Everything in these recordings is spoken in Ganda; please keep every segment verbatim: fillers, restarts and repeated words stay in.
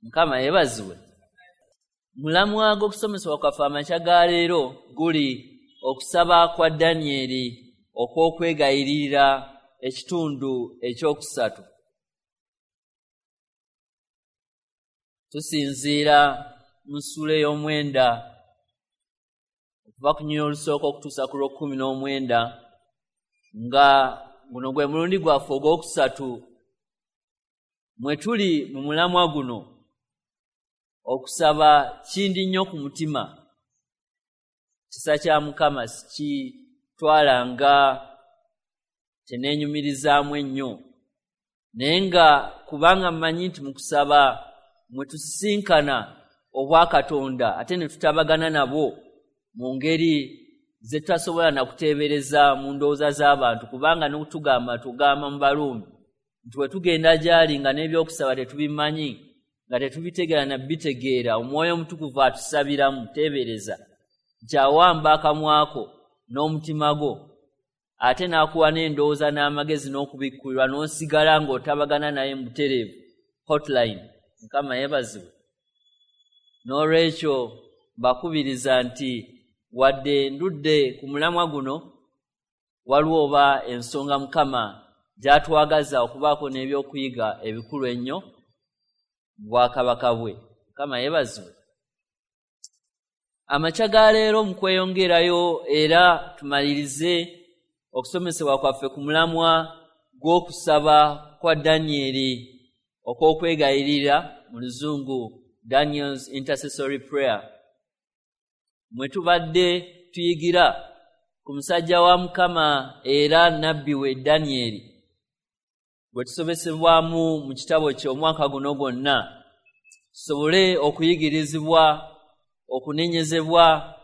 Mukama yeebazibwe. Mulamwa gw'okusomesebwa kwaffe amakya ga leero guli okusaba kwa Danyeri okw'okwegayirira ekitundu ekyokusatu. Tusinziira mu ssuula ey'omwenda okuva ku nnyonyi olusooka okutuusa ku lw'okkumi n'omwenda, nga guno gwe mulundi gwaffe ogwokusatu mwe tuli mu mulamwa guno. Okusaba kindi nnyo ku mutima. Kisa kya Mukama sikitwala nga kyeneenyumirizaamu ennyo, naye nga kubanga mmanyi nti mu kusaba mwe tusisinkana obwakatonda ate ne tutabagana nabwo mu ngeri ze tutasobola na kuteebereza mu ndowooza z'abantu, kubanga n'okutugamba tugamba mu Baruumi nti bwe tugenda gy'ali nga n'ebyokusaba tetubimanyi, nga tetubitegeera na bitegeera, Omwoyo Omutukuvu atusabiramu. Teebereza nti awamba akamwako n'omutima gwo ate n'akuwa n'endowooza n'amagezi n'okubikkulirwa, n'osigala ng'otabagana naye mu butereevu. Hotline. Mukama yeebazibwe. N'olwekyo mbakubiriza nti wadde ndudde ku mulamwa guno, waliwo oba ensonga Mukama gy'atwagaza okubaako n'ebyokuyiga ebikulu ennyo mu bwakabaka bwe. Mukama yeebazibwe. Amakya ga leero mu kweyongerayo era tumalirize okusomesebwa kwaffe ku mulamwa gw'okusaba kwa Danyeri okw'okwegayirira, mu Luzungu Daniel's Intercessory Prayer, mwe tubadde tuyigira ku musajja wa Mukama era nabbi we Danyeri, gwe tusomesebwamu mu kitabo kye omwaka guno gwonna, tusobole okuyigirizibwa, okunenyezebwa,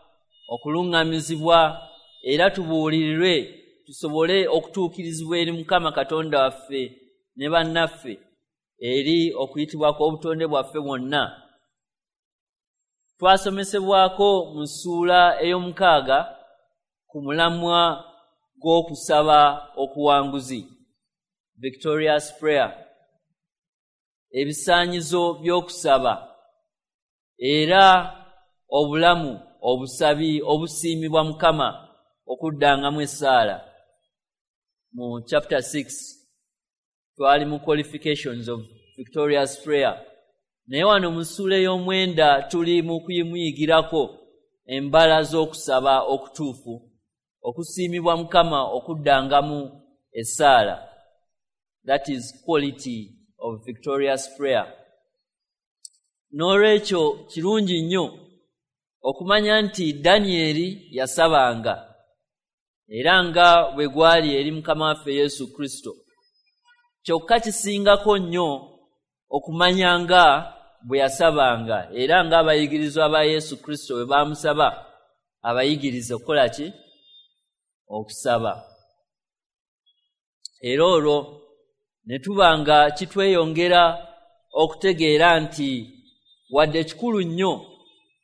okuluŋŋamizibwa, era tubuulirirwe tusobole okutuukirizibwa eri Mukama Katonda waffe ne bannaffe eri okuyitibwa kw'obutonde bwaffe bwonna. Twasomesebwako mu ssuula ey'omukaaga ku mulamwa gw'okusaba okuwanguzi, Victorious Prayer, ebisaanyizo by'okusaba era obulamu obusabi obusiimibwa Mukama okuddangamu essaala. Mu chapter six twali mu qualifications of victorious prayer, naye wano mu ssuula ey'omwenda tuli mu kuyimuyigirako embala z'okusaba okutuufu okusiimibwa Mukama okuddangamu essaala. That is quality of victorious prayer. N'olwekyo kirungi nnyo okumanya nti Danyeri yasabanga era nga bwe gwali eri Mukama waffe Yesu Kristo. Kyokka kisingako nnyo okumanya nga bwe yasabanga era ng'abayigirizwa ba Yesu Kristo bwe baamusaba abayigirize okukola ki? Okusaba. Era olwo ne tuba nga kitweyongera okutegeera nti wadde kikulu nnyo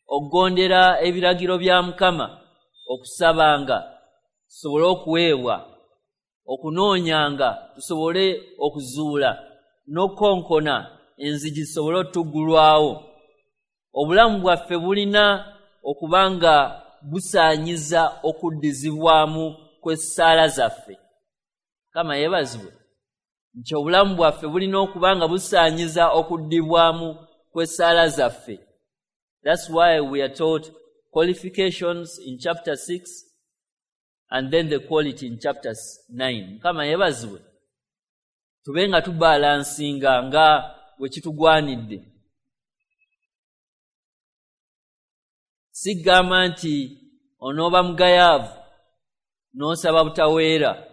okugondera ebiragiro bya Mukama, okusabanga tusobole okuweebwa, okunoonyanga tusobole okuzuula, n'okukonkona enzigi zisobole otuggulwawo. Obulamu bwaffe bulina okuba nga busaanyiza okuddizibwamu kw'essaala zaffe. Mukama yeebazibwe. Nti obulamu bwaffe bulina okuba nga busaanyiza okuddibwamu kw'essaala zaffe. That's why we are taught qualifications in chapter six and then the quality in chapter nine. Mukama yeebazibwe. Tube nga tubalansinga nga bwe kitugwanidde. Sigamba nti onooba mugayaavu n'osaba butaweera,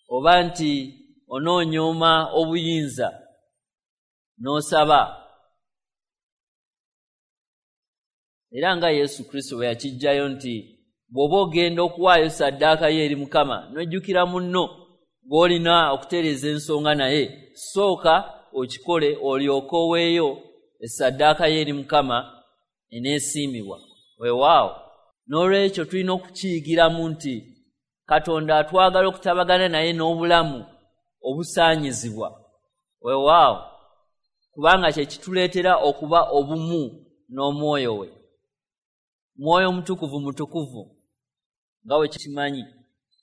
oba nti onoonyooma obuyinza n'osaba. Era nga Yesu Kristo bwe yakiggyayo nti bw'oba ogenda okuwaayo ssaddaaka yo eri Mukama n'ojjukira munno gw'olina okutereeza ensonga naye, sooka okikole olyoke oweeyo essaddaaka yo eri Mukama eneesiimibwa. Weewaawo. N'olwekyo tulina okukiyigiramu nti Katonda atwagala okutabagana naye n'obulamu obusaanyizibwa. Weewaawo. kubanga kye kituleetera okuba obumu n'omwoyo we. Mwoyo Mutukuvu mutukuvu nga bwe kimanyi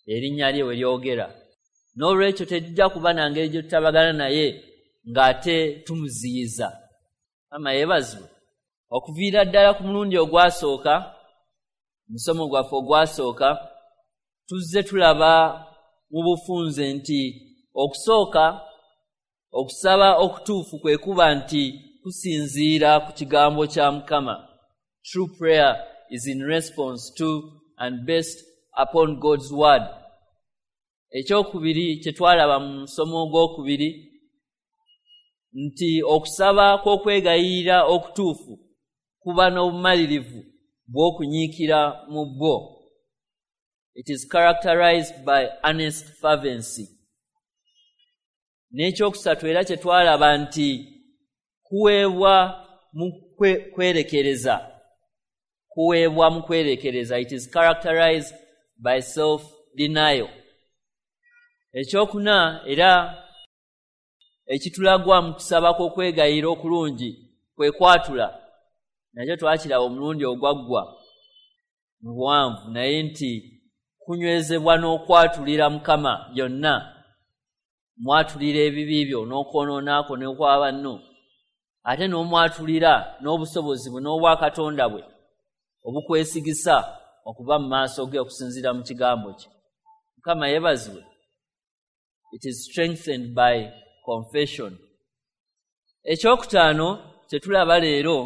erinnya lye we lyogera. N'olwekyo tetujja kuba na ngeri gye tutabagana naye ng'ate tumuziyiza. Mukama yeebazibwe. Okuviira ddala ku mulundi ogwasooka, musomo gwaffe ogwasooka, tuzze tulaba mu bufunze nti okusooka okusaba okutuufu kwe kuba nti kusinziira ku kigambo kya Mukama. True prayer is in response to and based upon God's word. Ekyokubiri kye twalaba mu musomo ogwokubiri nti okusaba kw'okwegayirira okutuufu kuba n'obumalirivu bw'okunyiikira mu bwo. It is characterized by earnest fervency. N'ekyokusatu era kye twalaba nti kuweebwa mu kwerekereza. Kuweebwa mu kwerekereza. It is characterized by self-denial. Ekyokuna era ekitulagwa mu kusaba kw'okwegayirira okulungi kwe kwatula. Nakyo twakiraba omulundi ogwaggwa mu buwanvu, naye nti kunywezebwa n'okwatulira Mukama byonna. Mwatulira ebibi byo n'okwonoonako n'okwa banno, ate n'omwatulira n'obusobozi bwe n'obwakatonda bwe obukwesigisa okuba mu maaso ge okusinziira mu kigambo kye. Mukama yeebazibwe. It is strengthened by confession. Ekyokutaano kye tulaba leero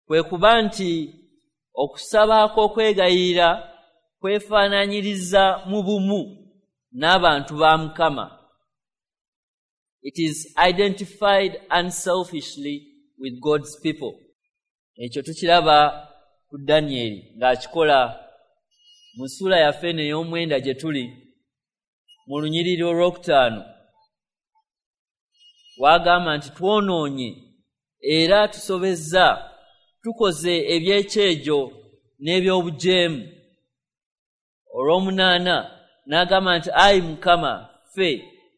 kwe kuba nti okusaba kw'okwegayirira kwefaanaanyiriza mu bumu n'abantu ba Mukama. It is identified unselfishly with God's people. Ekyo tukiraba ku Danyeri ng'akikola mu ssuula yaffe eno ey'omwenda gye tuli mu lunyiriri olwokutaano. Wagamba nti twonoonye era tusobezza, tukoze ebyekyejo n'ebyobujeemu. Olw'omunaana n'agamba nti ayi Mukama, ffe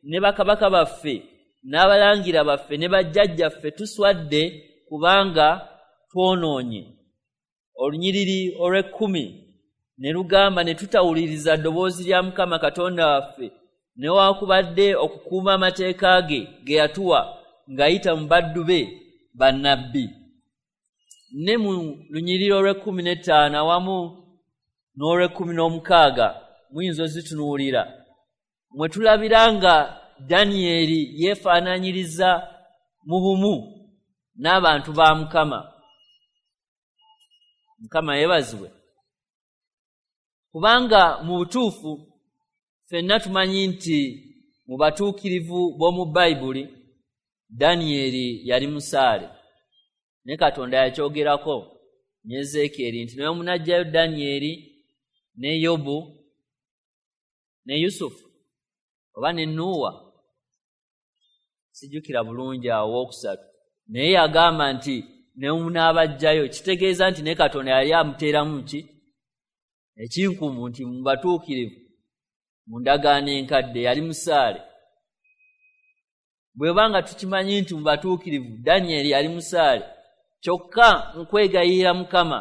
ne bakabaka baffe n'abalangira baffe ne bajjajjaffe tuswadde kubanga twonoonye. Olunyiriri olw'ekkumi ne lugamba ne tutawuliriza ddoboozi lya Mukama Katonda waffe newaakubadde okukuuma amateeka ge ge yatuwa ng'ayita mu baddu be bannabbi. Ne mu lunyiriri olw'ekkumi n'ettaano awamu n'olw'ekkumi n'omukaaga muyinza ozitunuulira, mwe tulabira nga Danyeri yeefaanaanyiriza mu bumu n'abantu ba Mukama. Mukama yeebazibwe. Kubanga mu butuufu ffenna tumanyi nti mu batuukirivu b'omu Bayibuli Danyeri yali musaale. Ne Katonda yakyogerako ne Ezeekyeri nti naye munaggyayo Danyeri ne Yobu ne Yusufu oba ne Nuuwa, sijjukira bulungi awo owookusatu, naye yagamba nti ne munaabaggyayo, kitegeeza nti ne Katonda yali amuteeramu ki ekinkumu nti mu batuukirivu mu ndagaano enkadde yali musaale. Bwe banga tukimanyi nti mu batuukirivu Danyeri yali musaale, kyokka mu kwegayirira Mukama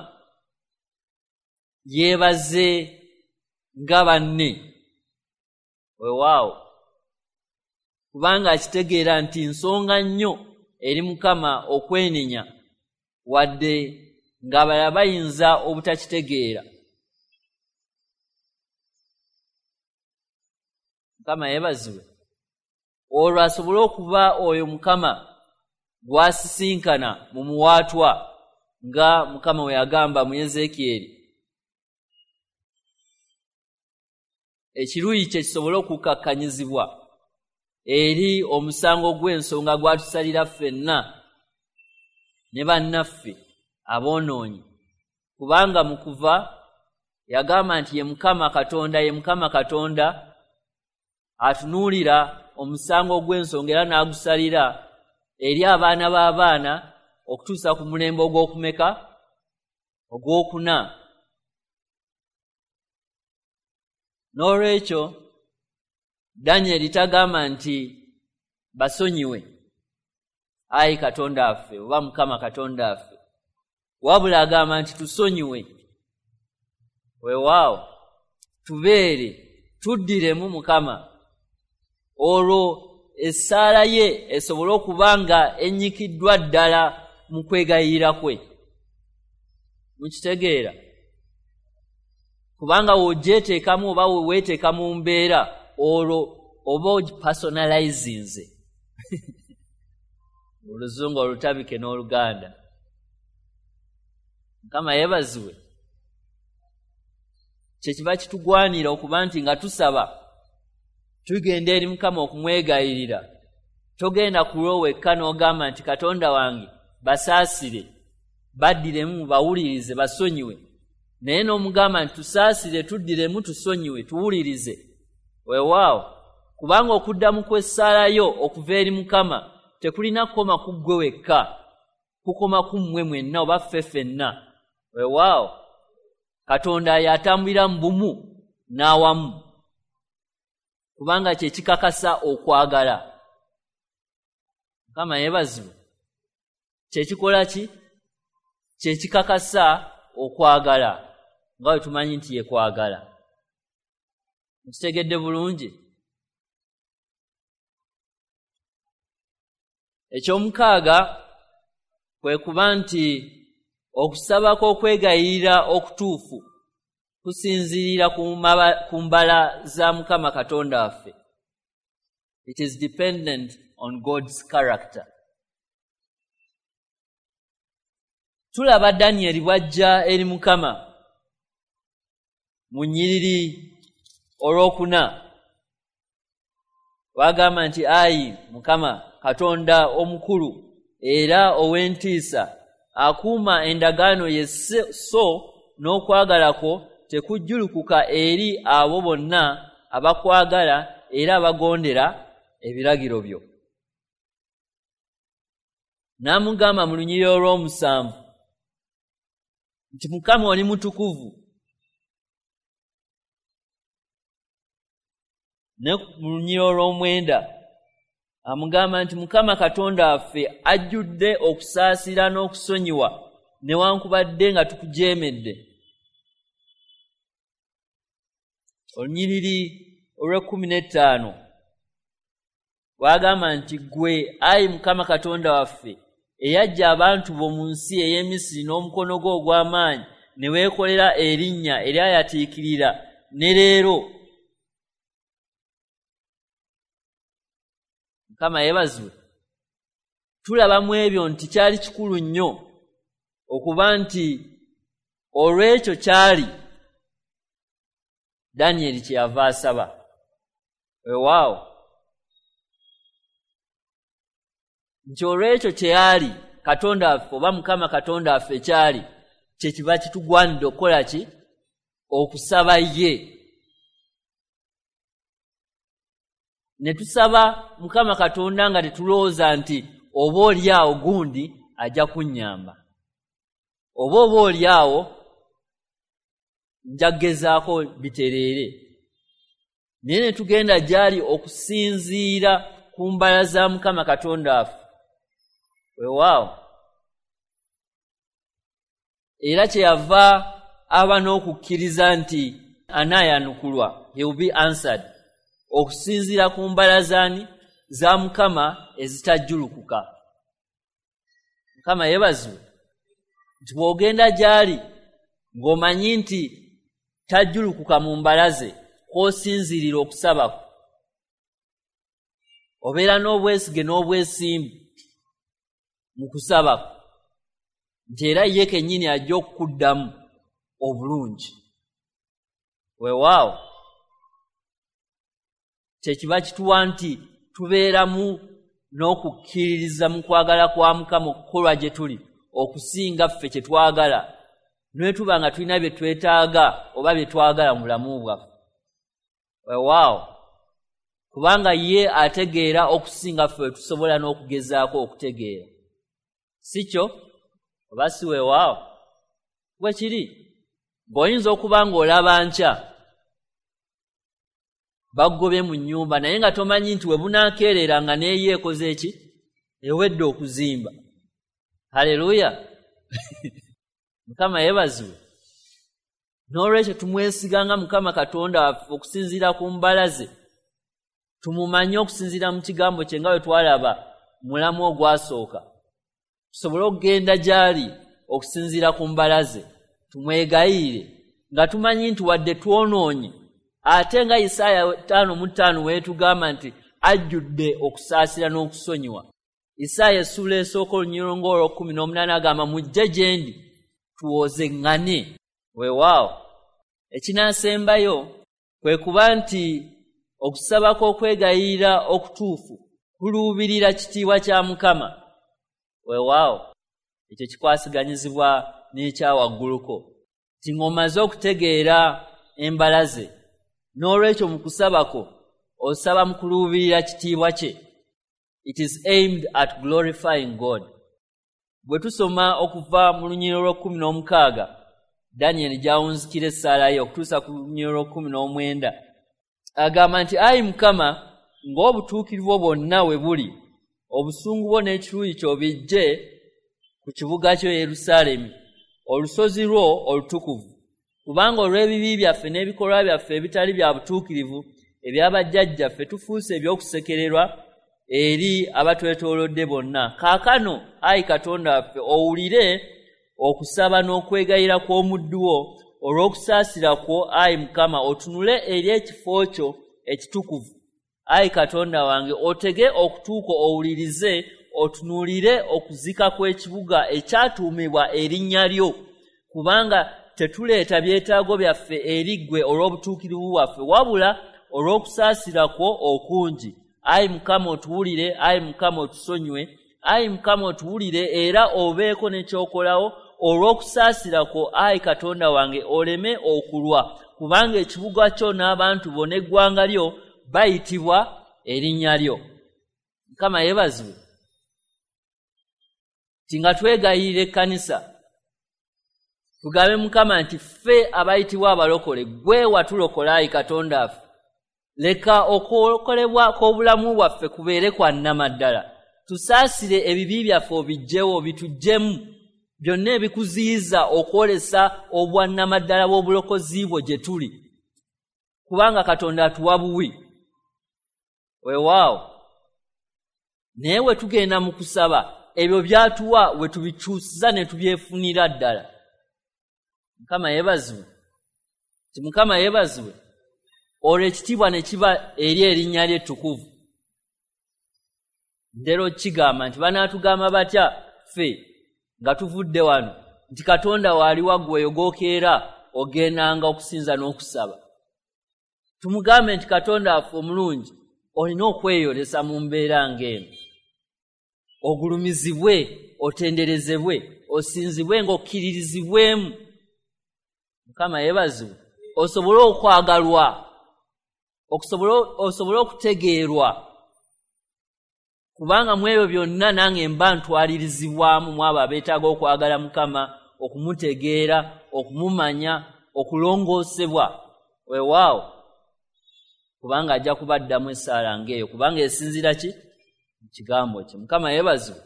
yeebaze nga banne. Weewaawo, kubanga akitegeera nti nsonga nnyo eri Mukama okwenenya wadde ng'abalala bayinza obutakitegeera. Mukama yeebazibwe. Olwo asobole okuba oyo Mukama gw'asisinkana mu muwaatwa nga Mukama we yagamba mu Ezeekyeri, ekiruyi kye kisobole okukakkanyizibwa eri omusango gw'ensonga gw'atusalira ffenna ne bannaffe aboonoonyi. Kubanga mu kuva yagamba nti ye Mukama Katonda, ye Mukama Katonda atunuulira omusango gw'ensonga era n'agusalira eri abaana b'abaana okutuusa ku mulembe ogw'okumeka ogw'okuna. N'olwekyo Danyeri tagamba nti basonyiwe, Ayi Katonda waffe oba Mukama Katonda waffe, wabula agamba nti tusonyiwe. Weewaawo, tubeere tuddiremu Mukama, olwo essaala ye esobole okuba nga ennyikiddwa ddala mu kwegayirira kwe. Mukitegeera? Kubanga w'ogyeteekamu oba weweeteeka mu mbeera, olwo oba ogipersonalizinze Oluzungu olutabike n'Oluganda. Mukama yeebazibwe. Kyekiva kitugwanira okuba nti nga tusaba tugenda eri Mukama okumwegayirira. Togenda kulwo wekka n'ogamba nti Katonda wange basaasire, baddiremu, bawulirize, basonyiwe. Naye n'omugamba nti tusaasire, tuddiremu, tusonyiwe, tuwulirize. Weewaawo, kubanga okuddamu kw'essaala yo okuva eri Mukama tekulina kukoma ku ggwe wekka, kukoma ku mmwe mwenna oba ffe ffenna. Weewaawo, Katonda y'atambulira mu bumu n'awamu, kubanga kye kikakasa okwagala. Mukama yeebazibwe. Kye kikola ki? Kye kikakasa okwagala, nga bwe tumanyi nti ye kwagala. Mukitegedde bulungi? Ekyomukaaga kwe kuba nti okusaba kw'okwegayirira okutuufu kusinziirira ku mbala za Mukama Katonda waffe. It is dependent on God's character. Tulaba Danyeri bw'ajja eri Mukama mu nnyiriri olwokuna, wagamba nti ayi Mukama Katonda omukulu era ow'entiisa, akuuma endagaano ye so n'okwagala kwo tekujjulukuka eri abo bonna abakwagala era abagondera ebiragiro byo. N'amugamba mu lunyiriri olw'omusanvu nti Mukama oli mutukuvu. Ne mu lunyiriri olw'omwenda amugamba nti Mukama Katonda waffe ajjudde okusaasira n'okusonyiwa newankubadde nga tukujeemedde. Olunyiriri olw'ekkumi n'ettaano wagamba nti ggwe ayi Mukama Katonda waffe eyajja abantu bo mu nsi ey'e Misiri n'omukono gwo ogw'amaanyi ne weekolera erinnya eryayatiikirira ne leero. Mukama yeebazibwe. Tulaba mu ebyo nti kyali kikulu nnyo okuba nti olw'ekyo kyali Danyeri kye yava asaba. Weewaawo, nti olw'ekyo kye yali Katonda waffe oba Mukama Katonda waffe kyali kye kiba kitugwanidde okukola ki? Okusaba ye. Ne tusaba Mukama Katonda nga tetulowooza nti oba oli awo gundi ajja kunnyamba, oba oba oli awo nja kugezaako bitereere. Naye ne tugenda gy'ali okusinziira ku mbala za Mukama Katonda waffe. Weewaawo, era kyeyava aba n'okukkiriza nti anaayanukulwa, he will be answered, okusinziira ku mbala zaani za Mukama ezitajjulukuka. Mukama yeebazibwe nti bw'ogenda gy'ali ng'omanyi nti tajjulukuka mu mbala ze kw'osinziirira okusabako, obeera n'obwesige n'obwesimbu mu kusabako nti era ye kennyini ajja okukuddamu obulungi. Weewaawo, kyekiba kituwa nti tubeeramu n'okukkiririza mu kwagala kwa Mukama okukolwa gye tuli okusinga ffe kye twagala, ne tuba nga tulina bye twetaaga oba bye twagala mu bulamu bwaffe. Weewaawo, kubanga ye ategeera okusinga ffe tusobola n'okugezaako okutegeera. Si kyo oba si weewaawo? Bwe kiri. Ng'oyinza okuba ng'olaba nkya bagobye mu nnyumba, naye nga tomanyi nti we bunaakeerera nga neeyo ekoze ki? Ewedde okuzimba. Haleluya! Mukama yeebazibwe. N'olwekyo tumwesiga nga Mukama Katonda waffe okusinziira ku mbala ze. Tumumanye okusinziira mu kigambo kye nga bwe twalaba mulamu ogwasooka. Tusobole okugenda gy'ali okusinziira ku mbala ze. Tumwegayirire nga tumanyi nti wadde twonoonye, ate nga Isaaya ttaano mu ttaano weetugamba nti ajjudde okusaasira n'okusonyiwa. Isaaya essuula esooka olunyiriri ng'olw'ekkumi n'omunaana agamba mujje gye ndi tuwozeŋŋane. Weewaawo ekinaasembayo kwe kuba nti okusaba kw'okwegayirira okutuufu kuluubirira kitiibwa kya Mukama. Weewaawo ekyo kikwasiganyizibwa n'ekyawagguluko nti ng'omaze okutegeera embala ze, n'olwekyo mu kusaba kwo osaba mu kuluubirira kitiibwa kye. It is aimed at glorifying God. Bwe tusoma okuva mu lunyiriri olw'ekkumi n'omukaaga Daniel gy'awunzikira essaala ye okutuusa ku lunyiriri olw'ekkumi n'omwenda, agamba nti ayi Mukama, ng'obutuukirivu bwo bwonna we buli, obusungu bwo n'ekiruyi kyo bijje ku kibuga kyo Yerusaalemi, olusozi lwo olutukuvu. Kubanga olw'ebibi byaffe n'ebikolwa byaffe ebitali bya butuukirivu eby'abajjajjaffe tufuuse eby'okusekererwa eri abatwetoolodde bonna. Kaakano ayi Katonda waffe, owulire okusaba n'okwegayira kw'omuddu wo olw'okusaasira kwo, ayi Mukama, otunule eri ekifo kyo ekitukuvu. Ayi Katonda wange, otege okutuuka owulirize, otunuulire okuzika kw'ekibuga ekyatuumibwa erinnya lyo, kubanga tetuleeta byetaago byaffe eri ggwe olw'obutuukirivu bwaffe, wabula olw'okusaasira kwo okungi. Ayi Mukama otuwulire, ayi Mukama otusonyiwe, ayi Mukama otuwulire era obeeko n'ekyokolawo olw'okusaasira kwo, ayi Katonda wange, oleme okulwa, kubanga ekibuga kyo n'abantu bo n'eggwanga lyo bayitibwa erinnya lyo. Mukama yeebazibwe. Nti nga twegayirira ekkanisa tugambe Mukama nti ffe abayitibwa abalokole, ggwe watulokola ayi Katonda waffe, leka okulokolebwa kw'obulamu bwaffe kubeere kwa nnamaddala. Tusaasire ebibi byaffe obiggyewo, bituggyemu byonna ebikuziyiza okwolesa obwannamaddala bw'obulokozi bwo gye tuli, kubanga Katonda atuwa buwi. Weewaawo naye we tugenda mu kusaba ebyo byatuwa we tubikyusiza ne tubyefunira ddala. Mukama yeebazibwe. Nti Mukama yeebazibwe. Olwo ekitiibwa ne kiba eri erinnya lye ettukuvu. Ntera kigamba nti banaatugamba batya ffe nga tuvudde wano nti Katonda waali waggwe eyo gw'okeera ogendanga okusinza n'okusaba. Tumugambe nti Katonda waffe omulungi, olina okweyolesa mu mbeera ng'eno, ogulumizibwe, otenderezebwe, osinzibwe ng'okkiririzibwemu. Mukama yeebazibwe. Osobole okwagalwa, osobole okutegeerwa, kubanga mu ebyo byonna nange mba ntwalirizibwamu mu abo abeetaaga okwagala Mukama, okumutegeera, okumumanya, okulongoosebwa. Weewaawo kubanga ajja kubaddamu essaala ng'eyo, kubanga esinziira ki? Mu kigambo kye. Mukama yeebazibwe.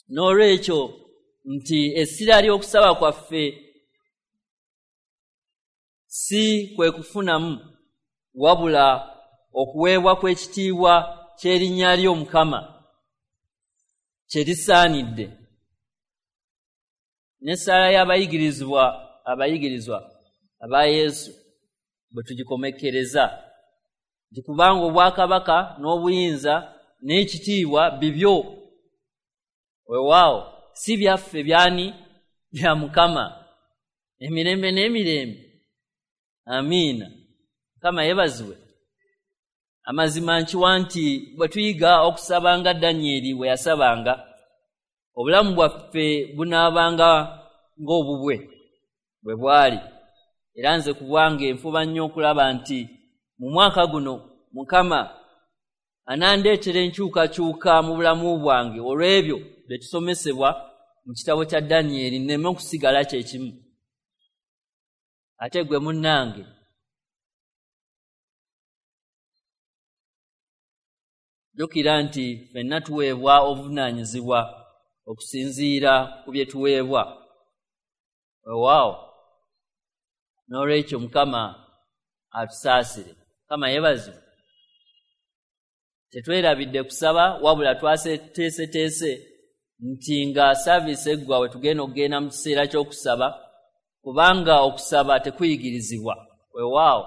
N'olwekyo nti essira ly'okusaba kwaffe si kwe kufunamu, wabula okuweebwa kw'ekitiibwa ky'erinnya lyo Mukama kye lisaanidde. N'essaala y'abayigirizwa abayigirizwa aba Yesu bwe tugikomekkereza nti kubanga obwakabaka n'obuyinza n'ekitiibwa bibyo. Weewaawo si byaffe, byani? Bya Mukama emirembe n'emirembe. Amiina. Mukama yeebazibwe. Amazima nkiwa nti bwe tuyiga okusaba nga Danyeri bwe yasabanga, obulamu bwaffe bunaabanga ng'obubwe bwe bwali. Era nze ku bwange nfuba nnyo okulaba nti mu mwaka guno Mukama anandeetera enkyukakyuka mu bulamu bwange olw'ebyo bye tusomesebwa mu kitabo kya Danyeri, nneme okusigala kye kimu. Ate gwe munnange, Jjukira nti ffenna tuweebwa obuvunaanyizibwa okusinziira ku bye tuweebwa. Weewaawo, n'olwekyo Mukama atusaasire. Mukama yeebazibwe. Tetwerabidde kusaba, wabula twateeseteese nti nga saaviisi eggwa we tugenda okugenda mu kiseera ky'okusaba, kubanga okusaba tekuyigirizibwa. Weewaawo,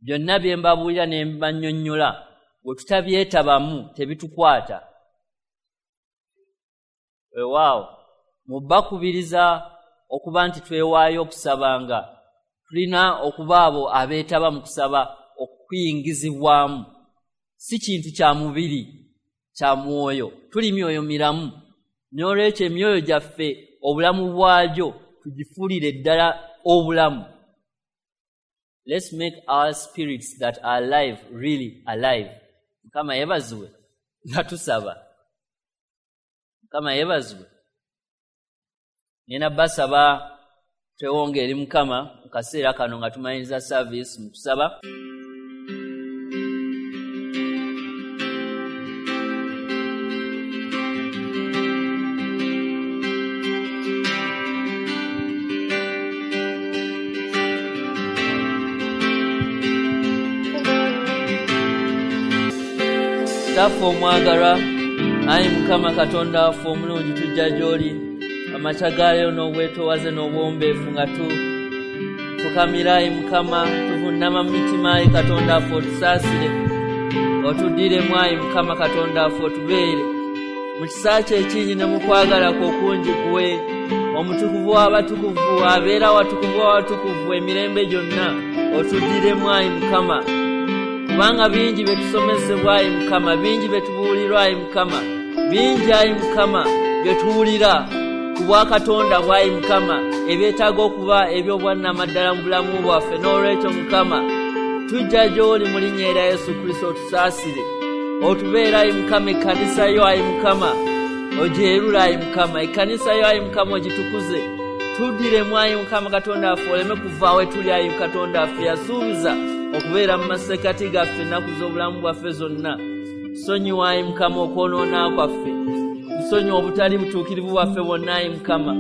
byonna bye mbabuulira ne mbannyonnyola bwe tutabyetabamu tebitukwata. Weewaawo, mu bakubiriza okuba nti twewaayo okusabanga, tulina okuba abo abeetaba mu kusaba okuyingizibwamu. Si kintu kya mubiri, kya mwoyo. Tuli myoyo miramu, n'olwekyo emyoyo gyaffe obulamu bwagyo tugifuulire ddala obulamu. Let's make our spirits that are alive really alive. Mukama yeebazibwe nga tusaba. Mukama yeebazibwe. Nina basaba twewonge eri Mukama mu kaseera kano nga tumaliriza service mu kusaba. Kitaffe omwagalwa, ayi Mukama Katonda waffe omulungi, tujja gy'oli amakya ga leero n'obwetoowaze n'obuwombeefu nga tufukamira. Ayi Mukama, tuvunnama mu mitima. Ayi Katonda waffe, otusaasire, otuddiremu. Ayi Mukama Katonda waffe, otubeere mu kisa kyo ekingi ne mu kwagala kwo okungi. Kuwe omutukuvu w'abatukuvu, abeera watukuvu w'abatukuvu emirembe gyonna, otuddiremu ayi Mukama, kubanga bingi bye tusomesebwa ayi Mukama, bingi bye tubuulirwa ayi Mukama, bingi ayi Mukama bye tuwulira ku bwakatonda bw'ayi Mukama, ebyetaaga okuba eby'obwannamaddala mu bulamu bwaffe. N'olwekyo Mukama, tujja gy'oli mu linnya erya Yesu Kristo, otusaasire, otubeere ayi Mukama. Ekkanisa yo ayi Mukama ogyerule ayi Mukama, ekkanisa yo ayi Mukama ogitukuze, tuddiremu ayi Mukama Katonda waffe, oleme kuva we tuli ayi Katonda waffe. Yasuubiza okubeera mu masekkati gaffe ennaku z'obulamu bwaffe zonna. Tusonyiwe ayi Mukama okwonoona kwaffe, tusonyiwe obutali butuukirivu bwaffe bwonna ayi Mukama,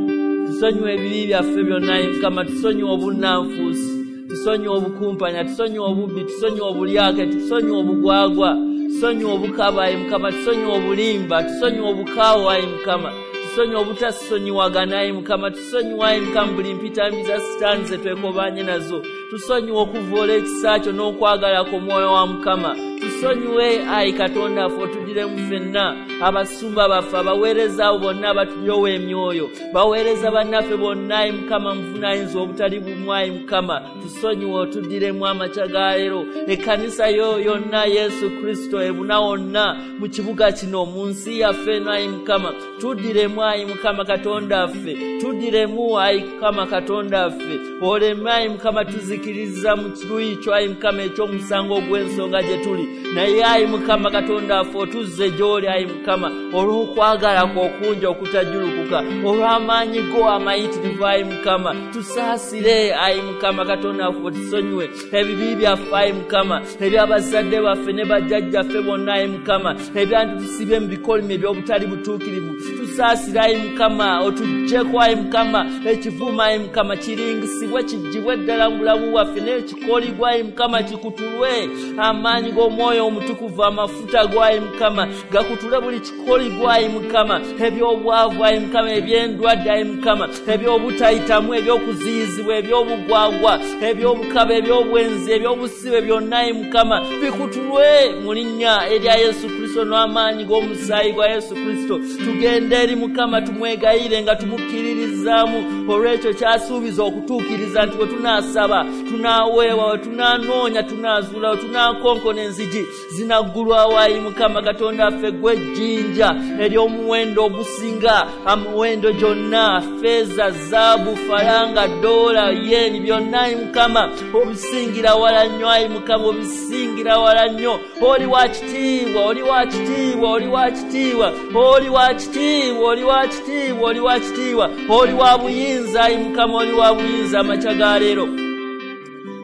tusonyiwe ebibi byaffe byonna ayi Mukama, tusonyiwe obunnanfuusi, tusonyiwe obukumpanya, tusonyiwe obubbi, tusonyiwe obulyake, tusonyiwe obugwagwa, tusonyiwe obukaba ayi Mukama, tusonyiwe obulimba, tusonyiwe obukaawa ayi Mukama, tusonyiwe obutasonyiwagana ayi Mukama, tusonyiwe ayi Mukama buli mpitambi za Sitaani ze twekobanye nazo, tusonyiwe okuvoola ekisa kyo n'okwagala kw'omwoyo wa Mukama. Tusonyiwe ayi Katonda waffe, otuddiremu ffenna, abasumba baffe, abaweereza abo bonna abatulyowa emyoyo, baweereza bannaffe bonna ayi Mukama, muvunaanyizibwa obutali bumu ayi Mukama, tusonyiwe otuddiremu amakya ga leero. Ekkanisa yo yonna Yesu Kristo ebuna wonna mu kibuga kino, mu nsi yaffe eno ayi Mukama, tuddiremu ayi Mukama Katonda waffe, tuddiremu ayi Mukama Katonda waffe, oleme ayi Mukama tuzikiriza mu kiruyi kyo ayi Mukama eky'omusango ogw'ensonga gye tuli. Naye ayi Mukama Katonda waffe, otuzze gy'oli ayi Mukama olw'okwagala kwo okungi okutajjulukuka, olw'amaanyi go amayitirivu ayi Mukama, tusaasire ayi Mukama Katonda waffe, otusonyiwe ebibi byaffe ayi Mukama, eby'abazadde baffe ne bajjajjaffe bonna ayi Mukama, ebyantu tusibye mu bikolimo eby'obutali butuukirivu. Tusaasire ayi Mukama, otuggyeko ayi Mukama ekivumo ayi Mukama, kiringisibwe kiggyibwe ddala mu bulamu bwaffe, n'ekikoligwa ayi Mukama kikutulwe amaanyi g'omwoyo omutukuvu, amafuta go ayi Mukama gakutule buli kikoligwa ayi Mukama, eby'obwavu ayi Mukama, eby'endwadde ayi Mukama, eby'obutayitamu, eby'okuziyizibwa, eby'obugwagwa, eby'obukaba, eby'obwenzi, eby'obusibe byonna ayi Mukama bikutulwe mu linnya erya Yesu Kristo n'amaanyi g'omusaayi gwa Yesu Kristo. Tugende eri Mukama tumwegayire nga tumukkiririzaamu olw'ekyo ky'asuubiza okutuukiriza nti bwe tunaasaba tunaaweebwa, bwe tunaanoonya tunaazuula, bwe tunaakonkona enzigi zinaggulwawo ayi Mukama Katonda waffe. Ggwe ejjinja ery'omuwendo ogusinga amuwendo gyonna, ffeeza, zaabu, falanga, doola, yeni, byonna ayi Mukama obisingira wala nnyo ayi Mukama, obisingira wala nnyo. Oli wa kitiibwa, oli wa kitiibwa, oli wa kitiibwa, oli wa kitiibwa, oli wa kitiibwa, oli wa kitiibwa, oli wa buyinza ayi Mukama, oli wa buyinza amakya ga leero.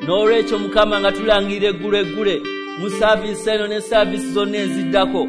N'olwekyo Mukama nga tulangirira eggulu eggule, Mu saaviisi eno ne saaviisi zonna eziddako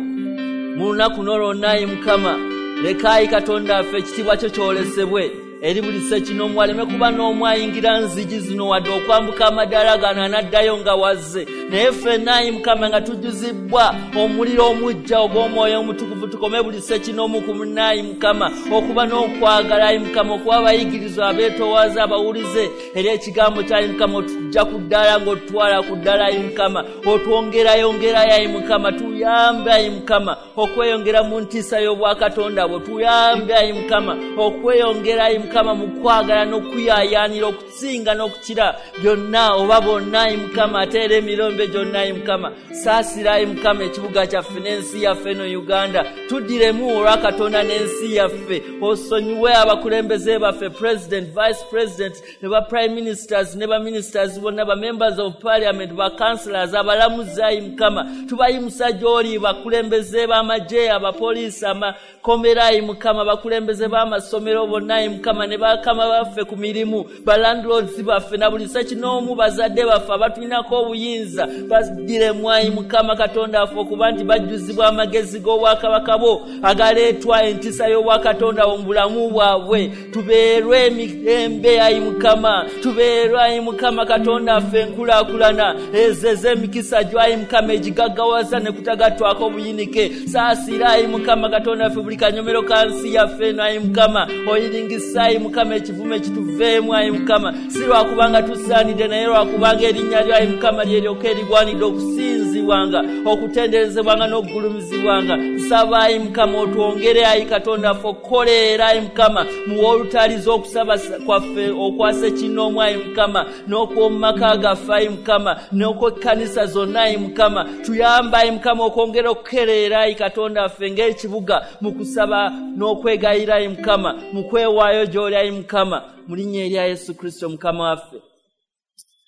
mu lunaku n'olwonna, ayi Mukama, leka ayi Katonda waffe ekitiibwa kyo kyolesebwe eri buli ssekinoomu, aleme kuba n'omu ayingira nzigi zino wadde okwambuka amadaala gano anaddayo nga wazze. Naye ffenna ayi Mukama nga tujjuzibwa omuliro omuggya ogw'Omwoyo Omutukuvu, tukome buli ssekinoomu ku munne ayi Mukama, okuba n'okwagala ayi Mukama, okuba abayigirizwa abeetoowaza abawulize eri ekigambo kya ayi Mukama. Otujja ku ddaala ng'otutwala ku ddaala ayi Mukama, otwongerayongerayo ayi Mukama. Tuyambe ayi Mukama okweyongera mu ntiisa y'obwakatonda bwo, tuyambe ayi Mukama okweyongera ayi Mukama mu kwagala n'okuyaayaanira okusinga n'okukira byonna oba bonna ayi Mukama, ate era emirembe gyonna ayi Mukama. Saasira ayi Mukama ekibuga kyaffe n'ensi yaffe eno Uganda, tuddiremu olwa Katonda n'ensi yaffe. Osonyiwe abakulembeze baffe, president, vice president, ne ba prime ministers ne ba ministers bonna, ba members of parliament, ba councillors, abalamuzi ayi Mukama, tubayimusa gy'oli, bakulembeze b'amagye, abapoliisi, amakomera ayi Mukama, bakulembeze b'amasomero bonna ayi Mukama, ne bakama baffe ku mirimu, ba landlords baffe na buli ssekinoomu, bazadde baffe abatulinako obuyinza, baddiremu ayi Mukama Katonda waffe okuba nti bajjuzibwa amagezi g'obwakabaka bwo agaleetwa entiisa y'obwakatonda mu bulamu bwabwe. Tubeerwe emirembe ayi Mukama, tubeerwe ayi Mukama Katonda waffe enkulaakulana ezo ez'emikisa gyo ayi Mukama egigaggawaza ne kutagattwako obuyinike. Saasira ayi Mukama Katonda waffe buli kanyomero ka nsi yaffe eno ayi Mukama, oyiringisa ayi Mukama ekivume kituveemu ayi Mukama, si lwakubanga tusaanidde naye lwakubanga erinnya lyo ayi Mukama lyeryoka erigwanidde okusinzibwanga, okutenderezebwanga n'okugulumizibwanga. Nsaba ayi Mukama otwongere ayi Katonda waffe okukoleera ayi Mukama mu wolutaaliza okusaba kwaffe okwa ssekinoomu ayi Mukama, n'okw'omu maka gaffe ayi Mukama, n'okw'ekkanisa zonna ayi Mukama. Tuyambe ayi Mukama okwongera okukereera ayi Katonda waffe ng'ekibuga mu kusaba n'okwegayira ayi Mukama, mu kwewaayo gy'oli ayi Mukama, mu linnya erya Yesu Kristo Mukama waffe.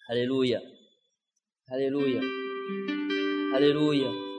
Haleluya, haleluya, haleluya.